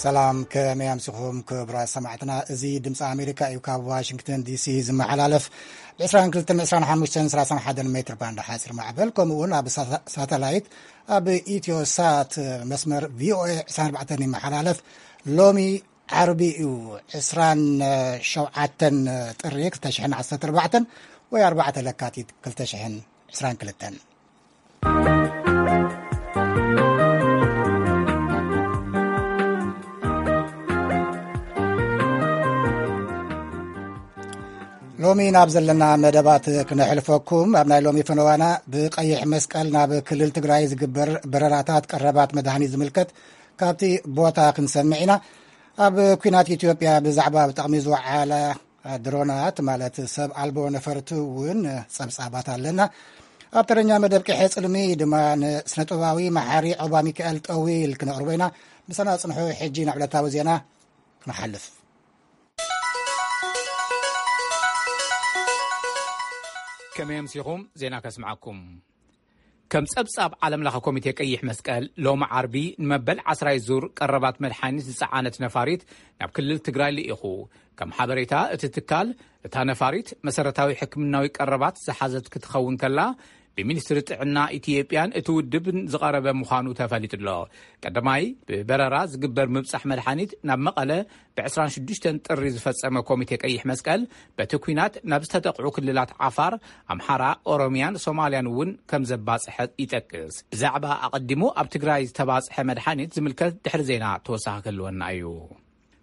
ሰላም፣ ከመይ ኣምሲኹም ክቡራት ሰማዕትና? እዚ ድምፂ ኣሜሪካ እዩ፣ ካብ ዋሽንግተን ዲሲ ዝመሓላለፍ ብ22፣ 25፣ 31 ሜትር ባንድ ሓፂር ማዕበል፣ ከምኡ እውን ኣብ ሳታ-፣ ሳተላይት ኣብ ኢትዮ ሳት መስመር ቪኦኤ 24 ይመሓላለፍ። ሎሚ ዓርቢ እዩ፣ 27 ጥሪ 2014 ወይ 4 ለካቲት 2022። ሎሚ ናብ ዘለና መደባት ክነሕልፈኩም፣ ኣብ ናይ ሎሚ ፈነዋና ብቀይሕ መስቀል ናብ ክልል ትግራይ ዝግበር በረራታት ቀረባት መድሃኒት ዝምልከት ካብቲ ቦታ ክንሰምዕ ኢና። ኣብ ኲናት ኢትዮጵያ ብዛዕባ ኣብ ጥቕሚ ዝወዓላ ድሮናት፣ ማለት ሰብ ኣልቦ ነፈርቲ እውን ጸብጻባት ኣለና። ኣብ ተረኛ መደብ ቅሐ ጽልሚ ድማ ንስነጥበባዊ መሓሪ ዖባ ሚካኤል ጠዊል ክነቕርቦ ኢና። ምሳና ጽንሑ። ሕጂ ናብ ዕለታዊ ዜና ክንሓልፍ። ከመይ ኣምሲኹም? ዜና ከስምዓኩም። ከም ጸብጻብ ዓለም ለኸ ኮሚቴ ቀይሕ መስቀል፣ ሎሚ ዓርቢ ንመበል ዓስራይ ዙር ቀረባት መድሓኒት ዝጸዓነት ነፋሪት ናብ ክልል ትግራይ ልኢኹ። ከም ሓበሬታ እቲ ትካል፣ እታ ነፋሪት መሰረታዊ ሕክምናዊ ቀረባት ዝሓዘት ክትኸውን ከላ፣ ብሚኒስትሪ ጥዕና ኢትዮጵያን እቲ ውድብን ዝቐረበ ምዃኑ ተፈሊጡ ኣሎ። ቀዳማይ ብበረራ ዝግበር ምብጻሕ መድሓኒት ናብ መቐለ ብ26 ጥሪ ዝፈጸመ ኮሚቴ ቀይሕ መስቀል፣ በቲ ኲናት ናብ ዝተጠቕዑ ክልላት ዓፋር፣ ኣምሓራ፣ ኦሮሚያን ሶማልያን እውን ከም ዘባጽሐ ይጠቅስ። ብዛዕባ ኣቐዲሙ ኣብ ትግራይ ዝተባጽሐ መድሓኒት ዝምልከት ድሕሪ ዜና ተወሳኺ ክህልወና እዩ።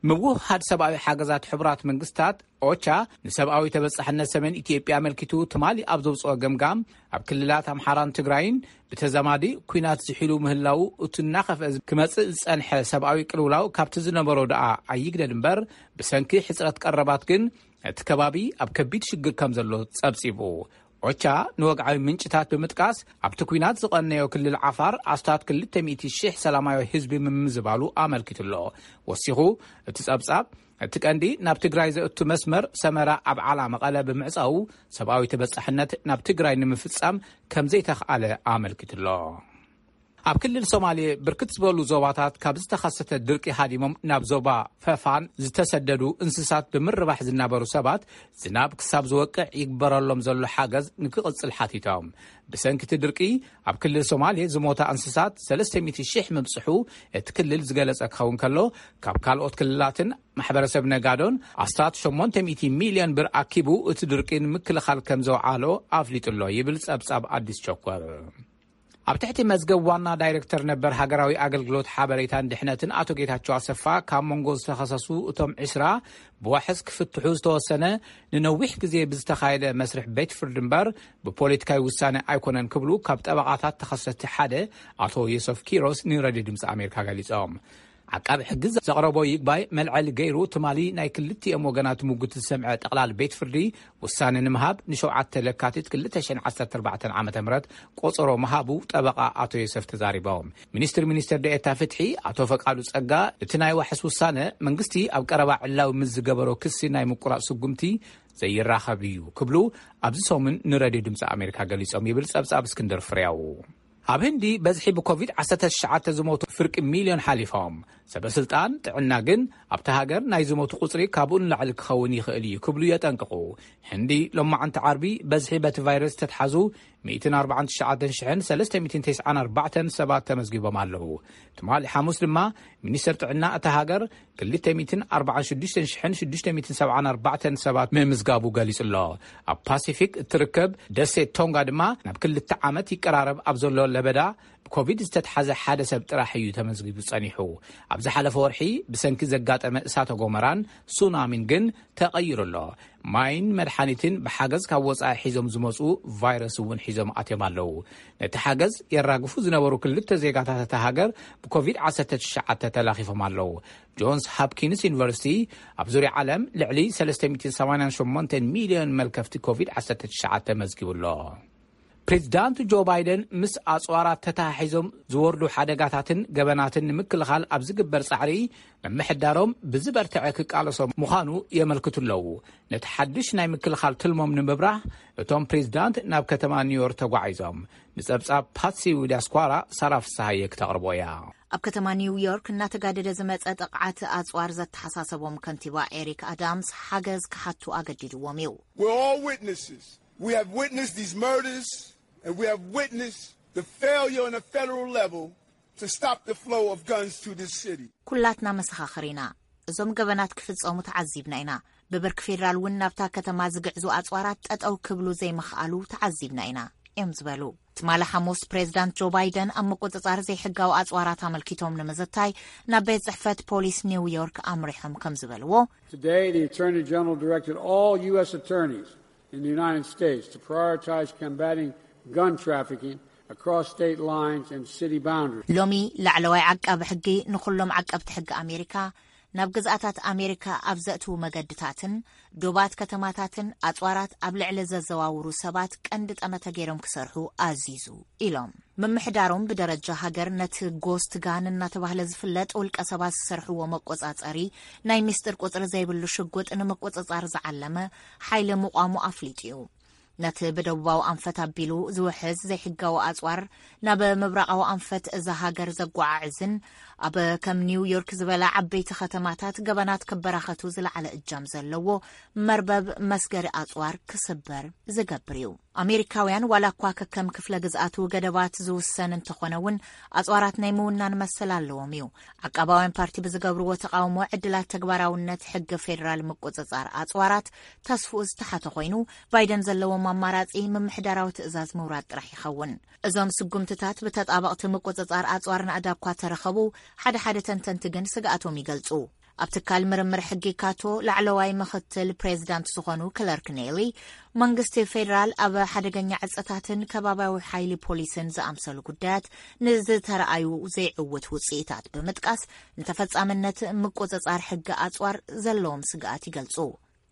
ምውህሃድ ሰብኣዊ ሓገዛት ሕቡራት መንግስታት፣ ኦቻ፣ ንሰብኣዊ ተበጻሕነት ሰሜን ኢትዮጵያ ኣመልኪቱ ትማሊ ኣብ ዘውጽኦ ገምጋም፣ ኣብ ክልላት ኣምሓራን ትግራይን ብተዛማዲ ኲናት ዝሒሉ ምህላው፣ እቲ እናኸፍአ ክመጽእ ዝጸንሐ ሰብኣዊ ቅልውላው ካብቲ ዝነበሮ ደኣ ኣይግደድ እምበር፣ ብሰንኪ ሕጽረት ቀረባት ግን እቲ ከባቢ ኣብ ከቢድ ሽግር ከም ዘሎ ጸብጺቡ። ኦቻ ንወግዓዊ ምንጭታት ብምጥቃስ፣ ኣብቲ ኲናት ዝቐነዮ ክልል ዓፋር ኣስታት 200,000 ሰላማዊ ህዝቢ ምምዝባሉ ኣመልኪቱ ኣሎ። ወሲኹ እቲ ጸብጻብ፣ እቲ ቀንዲ ናብ ትግራይ ዘእቱ መስመር ሰመራ፣ ኣብዓላ፣ መቐለ ብምዕጻዉ፣ ሰብኣዊ ተበጻሕነት ናብ ትግራይ ንምፍጻም ከም ዘይተኽኣለ ኣመልኪቱ ኣሎ። ኣብ ክልል ሶማሌ ብርክት ዝበሉ ዞባታት ካብ ዝተኸሰተ ድርቂ ሃዲሞም ናብ ዞባ ፈፋን ዝተሰደዱ እንስሳት ብምርባሕ ዝናበሩ ሰባት፣ ዝናብ ክሳብ ዝወቅዕ ይግበረሎም ዘሎ ሓገዝ ንክቕጽል ሓቲቶም። ብሰንኪ እቲ ድርቂ፣ ኣብ ክልል ሶማሌ ዝሞታ እንስሳት 300,000 ምብጽሑ እቲ ክልል ዝገለጸ ክኸውን ከሎ፣ ካብ ካልኦት ክልላትን ማሕበረሰብ ነጋዶን ኣስታት 800 ሚልዮን ብር ኣኪቡ፣ እቲ ድርቂ ንምክልኻል ከም ዘውዓሎ ኣፍሊጡ ኣሎ ይብል ጸብጻብ ኣዲስ ቸኮር። ኣብ ትሕቲ መዝገብ ዋና ዳይሬክተር ነበር ሃገራዊ ኣገልግሎት ሓበሬታን ድሕነትን ኣቶ ጌታቸው ኣሰፋ፣ ካብ መንጎ ዝተኸሰሱ እቶም 20 ብዋሕስ ክፍትሑ ዝተወሰነ፣ ንነዊሕ ግዜ ብዝተኻየደ መስርሕ ቤት ፍርዲ እምበር፣ ብፖለቲካዊ ውሳነ ኣይኮነን ክብሉ ካብ ጠበቓታት ተኸሰስቲ ሓደ ኣቶ ዮሰፍ ኪሮስ ንሬድዮ ድምፂ ኣሜሪካ ገሊጾም። ዓቃቢ ሕጊ ዘቕረቦ ይግባይ መልዐሊ ገይሩ፣ ትማሊ ናይ ክልቲኦም ወገናት ምጉት ዝሰምዐ ጠቕላል ቤት ፍርዲ፣ ውሳነ ንምሃብ ንሸውዓተ ለካቲት 2014 ዓ.ም ቆጸሮ ምሃቡ ጠበቓ ኣቶ ዮሰፍ ተዛሪቦም። ሚኒስትር ሚኒስትር ደኤታ ፍትሒ ኣቶ ፈቃዱ ጸጋ፣ እቲ ናይ ዋሕስ ውሳነ፣ መንግስቲ ኣብ ቀረባ ዕላዊ ምስ ዝገበሮ ክሲ ናይ ምቁራጽ ስጉምቲ ዘይራኸብ እዩ ክብሉ ኣብዚ ሰሙን ንሬድዮ ድምፂ ኣሜሪካ ገሊጾም ይብል ጸብጻብ እስክንድር ፍሬው። ኣብ ህንዲ በዝሒ ብኮቪድ-19 ዝሞቱ ፍርቂ ሚልዮን ሓሊፎም። ሰበስልጣን ጥዕና ግን ኣብቲ ሃገር ናይ ዝሞቱ ቁጽሪ ካብኡ ንላዕሊ ክኸውን ይኽእል እዩ ክብሉ የጠንቅቑ። ህንዲ ሎማዓንቲ ዓርቢ በዝሒ በቲ ቫይረስ ዝተትሓዙ 149,394 ሰባት ተመዝጊቦም ኣለዉ። ትማሊ ሓሙስ ድማ ሚኒስተር ጥዕና እታ ሃገር 246,674 ሰባት ምምዝጋቡ ገሊጹ ኣሎ። ኣብ ፓሲፊክ እትርከብ ደሴት ቶንጋ ድማ ናብ ክልተ ዓመት ይቀራረብ ኣብ ዘሎ ለበዳ ብኮቪድ ዝተትሓዘ ሓደ ሰብ ጥራሕ እዩ ተመዝጊቡ ጸኒሑ። ኣብ ዝሓለፈ ወርሒ ብሰንኪ ዘጋጠመ እሳተ ጎመራን ሱናሚን ግን ተቐይሩ ኣሎ። ማይን መድሓኒትን ብሓገዝ ካብ ወጻኢ ሒዞም ዝመጹ ቫይረስ እውን ሒዞም ኣትዮም ኣለዉ። ነቲ ሓገዝ የራግፉ ዝነበሩ ክልተ ዜጋታት እታ ሃገር ብኮቪድ-19 ተላኺፎም ኣለዉ። ጆንስ ሃፕኪንስ ዩኒቨርሲቲ ኣብ ዙርያ ዓለም ልዕሊ 388 ሚልዮን መልከፍቲ ኮቪድ-19 መዝጊቡ ኣሎ። ፕሬዚዳንት ጆ ባይደን ምስ ኣጽዋራት ተተሓሒዞም ዝወርዱ ሓደጋታትን ገበናትን ንምክልኻል ኣብ ዝግበር ጻዕሪ፣ ምምሕዳሮም ብዝበርትዐ ክቃለሶም ምዃኑ የመልክቱ ኣለዉ። ነቲ ሓድሽ ናይ ምክልኻል ትልሞም ንምብራህ፣ እቶም ፕሬዚዳንት ናብ ከተማ ኒውዮርክ ተጓዒዞም። ንጸብጻብ ፓትሲ ዊዳስኳራ ሳራ ፍስሃየ ክተቕርቦ እያ። ኣብ ከተማ ኒውዮርክ እናተጋደደ ዝመጸ ጥቕዓት ኣጽዋር ዘተሓሳሰቦም ከንቲባ ኤሪክ ኣዳምስ ሓገዝ ክሓቱ ኣገዲድዎም እዩ። We're all witnesses. We have witnessed these murders, and we have witnessed the failure on a federal level to stop the flow of guns to this city. ኩላትና መሰኻኽር ኢና። እዞም ገበናት ክፍጸሙ ተዓዚብና ኢና። ብብርኪ ፌደራል እውን ናብታ ከተማ ዝግዕዙ ኣጽዋራት ጠጠው ክብሉ ዘይምኽኣሉ ተዓዚብና ኢና እዮም ዝበሉ። ትማሊ ሓሙስ ፕሬዚዳንት ጆ ባይደን ኣብ ምቁጽጻር ዘይሕጋዊ ኣጽዋራት ኣመልኪቶም ንምዝታይ ናብ ቤት ጽሕፈት ፖሊስ ኒውዮርክ ኣምሪሖም ከም ዝበልዎ፣ Today, the Attorney General directed all U S attorneys in the United States to prioritize combating gun trafficking across state lines and city boundaries. ሎሚ ላዕለዋይ ዓቃቢ ሕጊ ንኹሎም ዓቀብቲ ሕጊ ኣሜሪካ ናብ ግዝኣታት ኣሜሪካ ኣብ ዘእትዉ መገድታትን ዶባት ከተማታትን ኣጽዋራት ኣብ ልዕሊ ዘዘዋውሩ ሰባት ቀንዲ ጠመተ ገይሮም ክሰርሑ ኣዚዙ ኢሎም። ምምሕዳሮም ብደረጃ ሃገር ነቲ ጎስት ጋን እናተባህለ ዝፍለጥ ውልቀ ሰባት ዝሰርሕዎ መቆጻጸሪ ናይ ሚስጥር ቁጽሪ ዘይብሉ ሽጉጥ ንምቁጽጻር ዝዓለመ ሓይሊ ምቋሙ ኣፍሊጡ እዩ። ነቲ ብደቡባዊ ኣንፈት ኣቢሉ ዝውሕዝ ዘይሕጋዊ ኣጽዋር ናብ ምብራቓዊ ኣንፈት እዛ ሃገር ዘጓዓዕዝን ኣብ ከም ኒውዮርክ ዝበላ ዓበይቲ ከተማታት ገበናት ክበራኸቱ ዝለዓለ እጃም ዘለዎ መርበብ መስገሪ ኣጽዋር ክስበር ዝገብር እዩ። ኣሜሪካውያን ዋላ እኳ ከከም ክፍለ ግዝኣቱ ገደባት ዝውሰን እንተኾነ እውን ኣጽዋራት ናይ ምውናን መሰል ኣለዎም እዩ። ዓቃባውያን ፓርቲ ብዝገብርዎ ተቓውሞ ዕድላት ተግባራውነት ሕጊ ፌዴራል ምቁጽጻር ኣጽዋራት ተስፍኡ ዝተሓተ ኮይኑ፣ ባይደን ዘለዎም ኣማራጺ ምምሕዳራዊ ትእዛዝ ምውራድ ጥራሕ ይኸውን። እዞም ስጉምትታት ብተጣበቕቲ ምቁጽጻር ኣጽዋር ናእዳ እኳ ተረኸቡ፣ ሓደ ሓደ ተንተንቲ ግን ስግኣቶም ይገልጹ። ኣብ ትካል ምርምር ሕጊ ካቶ ላዕለዋይ ምኽትል ፕሬዚዳንት ዝኾኑ ክለርክ ኔሊ፣ መንግስቲ ፌዴራል ኣብ ሓደገኛ ዕጸታትን ከባቢያዊ ሓይሊ ፖሊስን ዝኣምሰሉ ጉዳያት ንዝተረኣዩ ዘይዕውት ውጽኢታት ብምጥቃስ፣ ንተፈጻምነት ምቁጽጻር ሕጊ ኣጽዋር ዘለዎም ስግኣት ይገልጹ።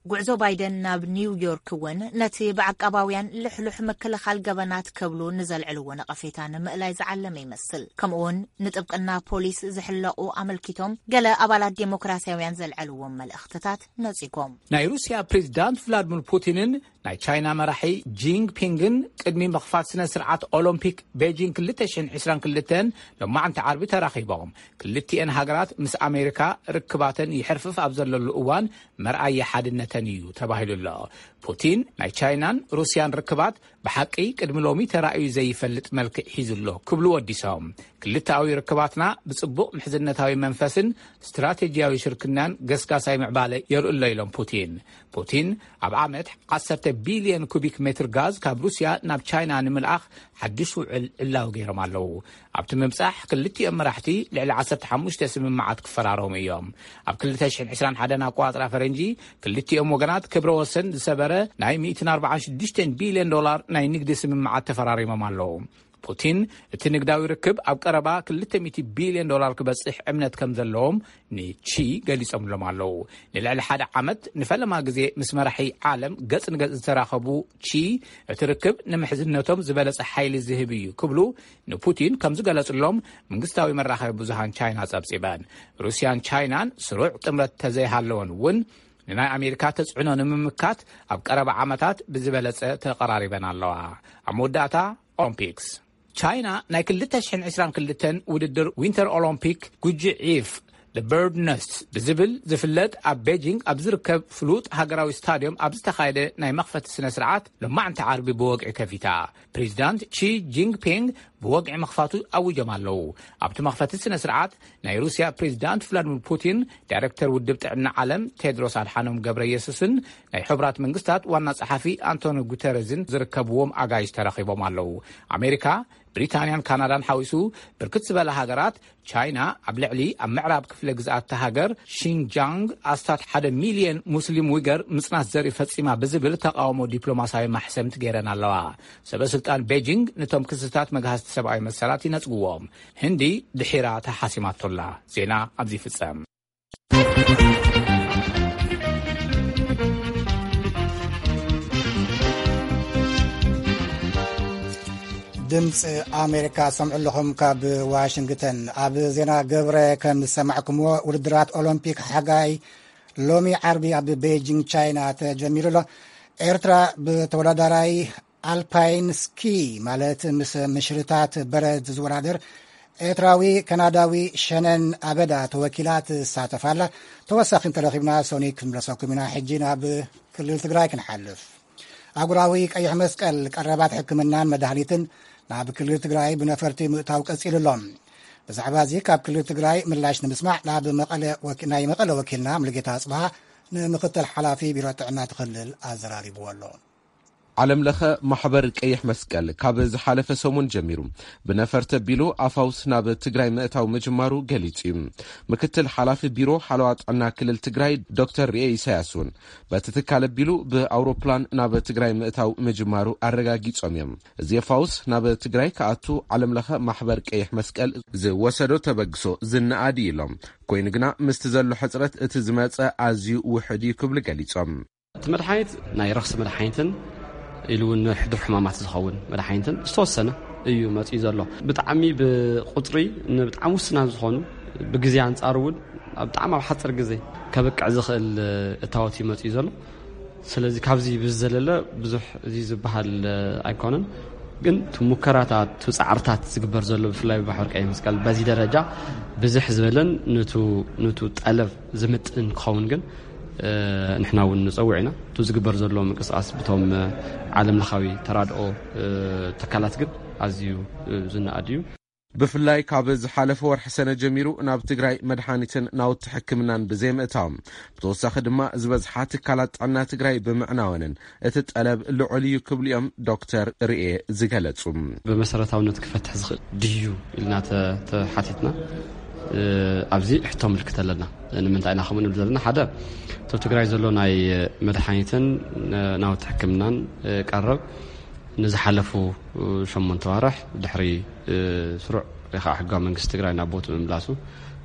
ጉዕዞ ባይደን ናብ ኒውዮርክ እውን ነቲ ብዓቃባውያን ልሕሉሕ ምክልኻል ገበናት ክብሉ ንዘልዕልዎ ነቐፌታ ንምእላይ ዝዓለመ ይመስል። ከምኡውን ንጥብቅና ፖሊስ ዝሕለቑ ኣመልኪቶም ገለ ኣባላት ዴሞክራሲያውያን ዘልዐልዎም መልእኽትታት ነጺጎም። ናይ ሩስያ ፕሬዚዳንት ቭላድሚር ፑቲንን ናይ ቻይና መራሒ ጂንግ ፒንግን ቅድሚ ምኽፋት ስነ ስርዓት ኦሎምፒክ ቤጂንግ ክልተ ሽሕን ዕስራን ክልተን ሎማዕንቲ ዓርቢ ተራኺቦም። ክልቲኤን ሃገራት ምስ ኣሜሪካ ርክባተን ይሕርፍፍ ኣብ ዘለሉ እዋን መርኣያ ሓድነተን እዩ ተባሂሉ ኣሎ። ፑቲን ናይ ቻይናን ሩስያን ርክባት ብሓቂ ቅድሚ ሎሚ ተራእዩ ዘይፈልጥ መልክዕ ሒዙ ኣሎ ክብሉ ወዲሶም። ክልተኣዊ ርክባትና ብጽቡቕ ምሕዝነታዊ መንፈስን ስትራቴጂያዊ ሽርክናን ገስጋሳይ ምዕባለ የርእሎ ኢሎም ፑቲን። ፑቲን ኣብ ዓመት ዓሰርተ ቢልዮን ኩቢክ ሜትር ጋዝ ካብ ሩስያ ናብ ቻይና ንምልኣኽ ሓድሽ ውዕል ዕላዊ ገይሮም ኣለዉ። ኣብቲ ምብጻሕ ክልቲኦም መራሕቲ ልዕሊ ዓሰርተ ሓሙሽተ ስምምዓት ክፈራረሙ እዮም። ኣብ ክልተ ሽሕን ዕስራን ሓደን ኣቆጻጽራ ፈረንጂ ክልቲኦም ወገናት ክብረ ወሰን ዝሰበረ ናይ ሚእትን ኣርባዓን ሽዱሽተን ቢልዮን ዶላር ናይ ንግዲ ስምምዓት ተፈራሪሞም ኣለዉ። ፑቲን እቲ ንግዳዊ ርክብ ኣብ ቀረባ ክልተ ሚእቲ ቢልዮን ዶላር ክበጽሕ እምነት ከም ዘለዎም ንቺ ገሊጾምሎም ኣለዉ። ንልዕሊ ሓደ ዓመት ንፈለማ ግዜ ምስ መራሒ ዓለም ገጽ ንገጽ ዝተራኸቡ ቺ፣ እቲ ርክብ ንምሕዝነቶም ዝበለጸ ሓይሊ ዝህብ እዩ ክብሉ ንፑቲን ከም ዝገለጹሎም መንግስታዊ መራኸቢ ብዙሃን ቻይና ጸብጺበን። ሩስያን ቻይናን ስሩዕ ጥምረት ተዘይሃለወን እውን ንናይ ኣሜሪካ ተጽዕኖ ንምምካት ኣብ ቀረባ ዓመታት ብዝበለጸ ተቐራሪበን ኣለዋ። ኣብ መወዳእታ ኦሎምፒክስ ቻይና ናይ ክልተ ሽሕን ዕስራን ክልተን ውድድር ዊንተር ኦሎምፒክ ጉጂ ዒፍ The Bird Nest ብዝብል ዝፍለጥ ኣብ ቤጂንግ ኣብ ዝርከብ ፍሉጥ ሃገራዊ ስታድዮም ኣብ ዝተኻየደ ናይ መኽፈቲ ስነ ስርዓት ሎማዕንቲ ዓርቢ ብወግዒ ከፊታ። ፕሬዚዳንት ቺ ጂንግፒንግ ብወግዒ ምኽፋቱ ኣዊጆም ኣለዉ። ኣብቲ መኽፈቲ ስነ ስርዓት ናይ ሩስያ ፕሬዚዳንት ቭላድሚር ፑቲን፣ ዳይሬክተር ውድብ ጥዕና ዓለም ቴድሮስ ኣድሓኖም ገብረ የሱስን ናይ ሕቡራት መንግስታት ዋና ጸሓፊ ኣንቶኒ ጉተረዝን ዝርከብዎም ኣጋይሽ ተረኺቦም ኣለዉ። ኣሜሪካ፣ ብሪታንያን ካናዳን ሓዊሱ ብርክት ዝበላ ሃገራት፣ ቻይና ኣብ ልዕሊ ኣብ ምዕራብ ክፍለ ግዝኣት እታ ሃገር ሺንጃንግ ኣስታት ሓደ ሚልዮን ሙስሊም ዊገር ምጽናት ዘርኢ ፈጺማ ብዝብል ተቃውሞ ዲፕሎማሳዊ ማሕሰምት ገይረን ኣለዋ። ሰበ ስልጣን ቤጂንግ ነቶም ክስታት መግሃስቲ ሰብኣዊ መሰላት ይነጽግዎም። ህንዲ ድሒራ ተሓሲማቶላ። ዜና ኣብዚ ይፍጸም። ድምፂ ኣሜሪካ ሰምዑ ኣለኹም ካብ ዋሽንግተን። ኣብ ዜና ገብረ ከም ዝሰማዕኩምዎ፣ ውድድራት ኦሎምፒክ ሓጋይ ሎሚ ዓርቢ ኣብ ቤጂንግ ቻይና ተጀሚሩ ኣሎ። ኤርትራ ብተወዳዳራይ ኣልፓይን ስኪ ማለት ምስ ምሽርታት በረድ ዝወዳደር ኤርትራዊ ካናዳዊ ሸነን ኣበዳ ተወኪላ ትሳተፍ ኣላ። ተወሳኺ እንተረኺብና ሶኒክ ክንምለሰኩም ኢና። ሕጂ ናብ ክልል ትግራይ ክንሓልፍ። ኣህጉራዊ ቀይሕ መስቀል ቀረባት ሕክምናን መድሃኒትን ናብ ክልል ትግራይ ብነፈርቲ ምእታው ቀጺሉ ኣሎ። ብዛዕባ እዚ ካብ ክልል ትግራይ ምላሽ ንምስማዕ ናብ መቐለ ወኪ-፣ ናይ መቐለ ወኪልና ሙሉጌታ ኣጽብሃ ንምክትል ሓላፊ ቢሮ ጥዕና እቲ ክልል ኣዘራሪብዎ ኣሎ። ዓለም ለኸ ማሕበር ቀይሕ መስቀል ካብ ዝሓለፈ ሰሙን ጀሚሩ ብነፈርቲ ኣቢሉ ኣፋውስ ናብ ትግራይ ምእታው ምጅማሩ ገሊጹ እዩ። ምክትል ሓላፊ ቢሮ ሓለዋ ጥዕና ክልል ትግራይ ዶክተር ርኤ ኢሳያስ እውን በቲ ትካል ኣቢሉ ብኣውሮፕላን ናብ ትግራይ ምእታው ምጅማሩ ኣረጋጊጾም እዮም። እዚ ኣፋውስ ናብ ትግራይ ክኣቱ ዓለም ለኸ ማሕበር ቀይሕ መስቀል ዝወሰዶ ተበግሶ ዝነኣድ እዩ ኢሎም። ኮይኑ ግና ምስቲ ዘሎ ሕጽረት እቲ ዝመጸ ኣዝዩ ውሑድ እዩ ክብሉ ገሊጾም። እቲ መድሓኒት ናይ ረኽሲ መድሓኒትን ኢሉ እውን ንሕዱር ሕማማት ዝኸውን መድሓኒትን ዝተወሰነ እዩ መፂኡ ዘሎ። ብጣዕሚ ብቁፅሪ ንብጣዕሚ ውስናት ዝኾኑ ብግዜ ኣንፃር እውን ኣብ ብጣዕሚ ኣብ ሓፂር ግዜ ከብቅዕ ዝኽእል እታወት እዩ መፂኡ ዘሎ። ስለዚ ካብዚ ብዝዘለለ ብዙሕ እዚ ዝበሃል ኣይኮነን። ግን እቲ ሙከራታት፣ እቲ ፃዕርታት ዝግበር ዘሎ ብፍላይ ብባሕር ቀይ መስቀል በዚ ደረጃ ብዝሕ ዝበለን ንቱ፣ ንቱ ጠለብ ዝምጥን ክኸውን ግን እ፣ ንሕና እውን ንጸውዕ ኢና። እቲ ዝግበር ዘሎ ምንቅስቃስ ብቶም፣ እ፣ ዓለም ለኻዊ ተራድኦ፣ እ፣ ትካላት ግን ኣዝዩ፣ እ፣ ዝነኣድ እዩ። ብፍላይ ካብ ዝሓለፈ ወርሒ ሰነ ጀሚሩ ናብ ትግራይ መድሓኒትን ናውቲ ሕክምናን ብዘይምእታዎም፣ ብተወሳኺ ድማ ዝበዝሓ ትካላት ጥዕና ትግራይ ብምዕናወንን እቲ ጠለብ ልዑል እዩ ክብሉ እዮም ዶክተር ርኤ ዝገለጹ። ብመሰረታውነት ክፈትሕ ዝኽእል ድዩ ኢልና ተ-፣ ተሓቲትና፣ እ፣ ኣብዚ ሕቶ ምልክት ኣለና። ንምንታይ ኢና ከምኡ ንብል ዘለና? ሓደ፣ እቲ ኣብ ትግራይ ዘሎ ናይ መድሓኒትን፣ እ፣ ናውቲ ሕክምናን፣ እ፣ ቀረብ ንዝሓለፉ፣ እ፣ ሸሞንተ ዋርሕ ድሕሪ፣ እ፣ ስሩዕ ወይ ከዓ ሕጋዊ መንግስቲ ትግራይ ናብ ቦትኡ ምምላሱ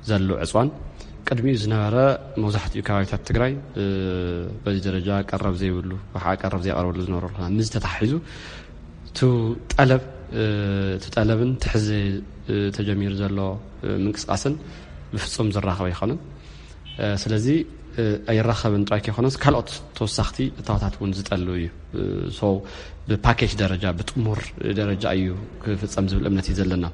ዘሎ ዕፅዋን ቅድሚኡ ዝነበረ መብዛሕትኡ ከባቢታት ትግራይ፣ እ፣ በዚ ደረጃ ቀረብ ዘይብሉ ወይ ከዓ ቀረብ ዘይቀርበሉ ዝነበረ ኩነታት ምስ ተታሒዙ፣ እቲ ጠለብ፣ እ፣ እቲ ጠለብን ትሕዚ፣ እ፣ ተጀሚሩ ዘሎ፣ እ፣ ምንቅስቃስን ብፍጹም ዝራኸብ ኣይኮነን። እ፣ ስለዚ፣ እ፣ ኣይራኸብን ጥራይ ከይኮነስ ካልኦት ተወሳኽቲ እታወታት እውን ዝጠልብ እዩ። እ፣ ሶ ብፓኬጅ ደረጃ፣ ብጥሙር ደረጃ እዩ ክፍጸም ዝብል እምነት እዩ ዘለና።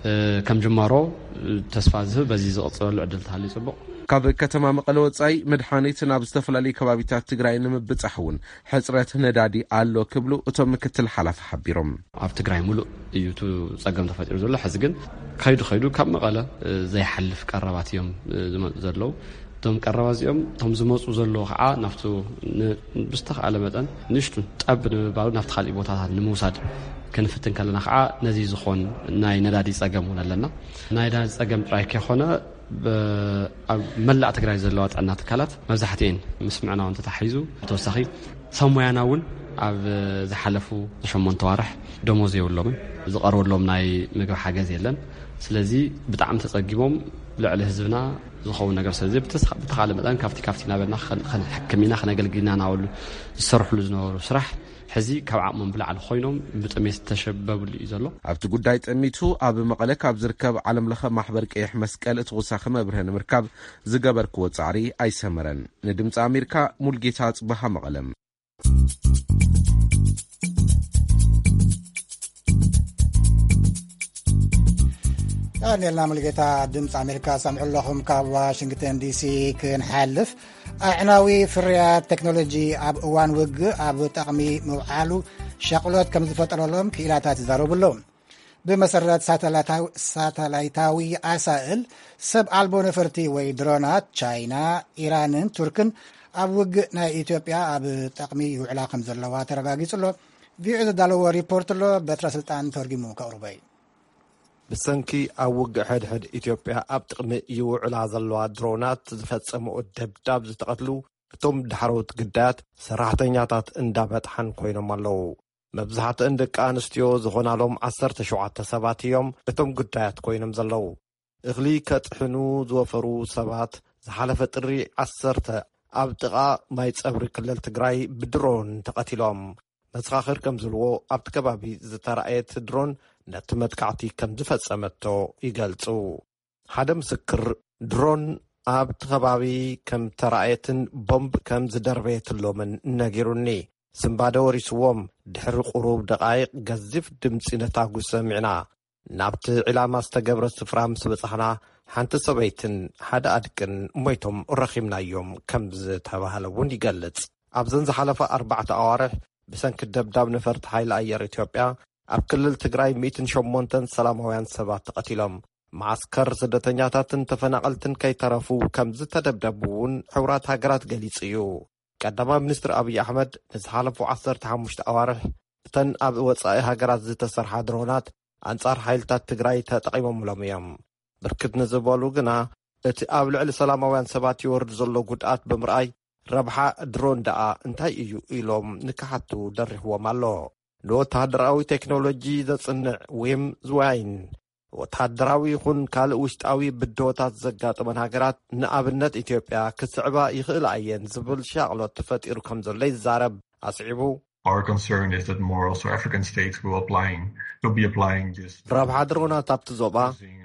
እ፣ ከም ጅማሮ፣ እ፣ ተስፋ ዝህብ በዚ ዝቕጽለሉ ዕድል ተሃልዩ ጽቡቕ። ካብ ከተማ መቐለ ወጻኢ መድሓኒት ናብ ዝተፈላለዩ ከባቢታት ትግራይ ንምብጻሕ እውን ሕጽረት ነዳዲ ኣሎ ክብሉ እቶም ምክትል ሓላፊ ሓቢሮም። ኣብ ትግራይ ሙሉእ እዩ እቲ ጸገም ተፈጢሩ ዘሎ። ሕዚ ግን ከይዱ ከይዱ ካብ መቐለ፣ እ፣ ዘይሓልፍ ቀረባት እዮም፣ እ፣ ዝመጹ ዘለዉ። እቶም ቀረባት እዚኦም፣ እቶም ዝመጹ ዘለዉ ከዓ ናብቱ ን-፣ ብዝተኻእለ መጠን ንእሽቱ ጠብ ንምባሉ ናብቲ ካሊእ ቦታታት ንምውሳድ ክንፍትን ከለና ከዓ ነዚ ዝኾን ናይ ነዳዲ ጸገም እውን ኣለና። ናይ ነዳዲ ጸገም ጥራይ ከይኮነ ብ-፣ ኣብ መላእ ትግራይ ዘለዋ ጥዕና ትካላት መብዛሕትኤን ምስ ምዕናወን ተታሒዙ፣ ብተወሳኺ ሰብ ሞያና እውን ኣብ ዝሓለፉ ሸሞንተ ዋርሕ ደሞዝ የብሎምን፣ ዝቐርበሎም ናይ ምግቢ ሓገዝ የለን። ስለዚ ብጣዕሚ ተጸጊሞም ልዕሊ ህዝብና ዝኸውን ነገር ስለዚ ብተስ-፣ ብተኻእለ መጠን ካብቲ ካብቲ እናበልና ከን-፣ ከንሕክም ኢና፣ ከነገልግል ኢና እናበሉ ዝሰርሕሉ ዝነበሩ ስራሕ ሕዚ ካብ ዓቕሞም ብላዕሊ ኮይኖም ብጥሜት ዝተሸበብሉ እዩ ዘሎ። ኣብቲ ጉዳይ ጠሚቱ ኣብ መቐለ ካብ ዝርከብ ዓለም ለኸ ማሕበር ቀይሕ መስቀል ተወሳኺ መብርሂ ንምርካብ ዝገበርክዎ ጻዕሪ ኣይሰመረን። ንድምፂ ኣሜሪካ ሙልጌታ ጽበሃ መቐለ። ቀኒልና ሙልጌታ ድምፂ ኣሜሪካ ሰምዑ ኣለኹም። ካብ ዋሽንግተን ዲሲ ክንሓልፍ ኣዕናዊ ፍርያት ቴክኖሎጂ ኣብ እዋን ውግእ ኣብ ጠቕሚ ምውዓሉ ሻቕሎት ከም ዝፈጠረሎም ክኢላታት ይዛረቡ ኣለዉ። ብመሰረት ሳተላታዊ፣ ሳተላይታዊ ኣሳእል ሰብ ኣልቦ ነፈርቲ ወይ ድሮናት ቻይና፣ ኢራንን ቱርክን ኣብ ውግእ ናይ ኢትዮጵያ ኣብ ጠቕሚ ይውዕላ ከም ዘለዋ ተረጋጊጹ ኣሎ። ቪኦኤ ዘዳለዎ ሪፖርት ኣሎ፣ በትረ ስልጣን ተርጊሙ ከቕርቦ እዩ። ብሰንኪ ኣብ ውግእ ሕድሕድ ኢትዮጵያ ኣብ ጥቕሚ ይውዕላ ዘለዋ ድሮናት ዝፈጸምኦ ደብዳብ ዝተቐትሉ እቶም ዳሕረዎት ግዳያት ሰራሕተኛታት እንዳ መጥሓን ኮይኖም ኣለዉ። መብዛሕትአን ደቂ ኣንስትዮ ዝኾናሎም ዓሰርተ ሸውዓተ ሰባት እዮም እቶም ግዳያት ኮይኖም ዘለዉ። እኽሊ ከጥሕኑ ዝወፈሩ ሰባት ዝሓለፈ ጥሪ ዓሰርተ ኣብ ጥቓ ማይ ጸብሪ ክልል ትግራይ ብድሮን ተቐቲሎም። መሰኻኽር ከም ዝብልዎ፣ ኣብቲ ከባቢ ዝተራእየት ድሮን ነቲ መጥቃዕቲ ከም ዝፈጸመቶ ይገልጹ። ሓደ ምስክር፣ ድሮን ኣብቲ ከባቢ ከም ተራእየትን ቦምብ ከም ዝደርበየትሎምን ነጊሩኒ። ስንባደ ወሪስዎም። ድሕሪ ቁሩብ ደቓይቕ፣ ገዚፍ ድምጺ ነታጉ ሰሚዕና። ናብቲ ዕላማ ዝተገብረ ስፍራ ምስ በጻሕና፣ ሓንቲ ሰበይትን ሓደ ኣድቅን ሞይቶም ረኺብናዮም ከም ዝተባህለ እውን ይገልጽ። ኣብዘን ዝሓለፋ ኣርባዕተ ኣዋርሕ፣ ብሰንኪ ደብዳብ ነፈርቲ ሓይሊ ኣየር ኢትዮጵያ፣ ኣብ ክልል ትግራይ ሚእትን ሸሞንተን ሰላማውያን ሰባት ተቐቲሎም። መዓስከር ስደተኛታትን ተፈናቐልትን ከይተረፉ ከም ዝተደብደቡ እውን ሕቡራት ሃገራት ገሊጹ እዩ። ቀዳማይ ሚኒስትር ኣብይ ኣሕመድ፣ ንዝሓለፉ ዓሰርተ ሓሙሽተ ኣዋርሕ እተን ኣብ ወጻኢ ሃገራት ዝተሰርሓ ድሮናት ኣንጻር ሓይልታት ትግራይ ተጠቒሞምሎም እዮም። ብርክት ንዝበሉ ግና፣ እቲ ኣብ ልዕሊ ሰላማውያን ሰባት ይወርድ ዘሎ ጉድኣት ብምርኣይ፣ ረብሓ ድሮን ደኣ እንታይ እዩ ኢሎም ንክሓቱ ደሪኽዎም ኣሎ። ንወተሃደራዊ ቴክኖሎጂ ዘጽንዕ ዊም ዝዋይን፣ ወተሃደራዊ ይኹን ካልእ ውሽጣዊ ብድሆታት ዘጋጠመን ሃገራት፣ ንኣብነት ኢትዮጵያ፣ ክስዕባ ይኽእላ እየን ዝብል ሻቕሎት ተፈጢሩ ከም ዘሎ ይዛረብ። ኣስዒቡ፣ Our concern is that more also African states will applying, will be applying this. ረብሓ ድሮናት ኣብቲ ዞባ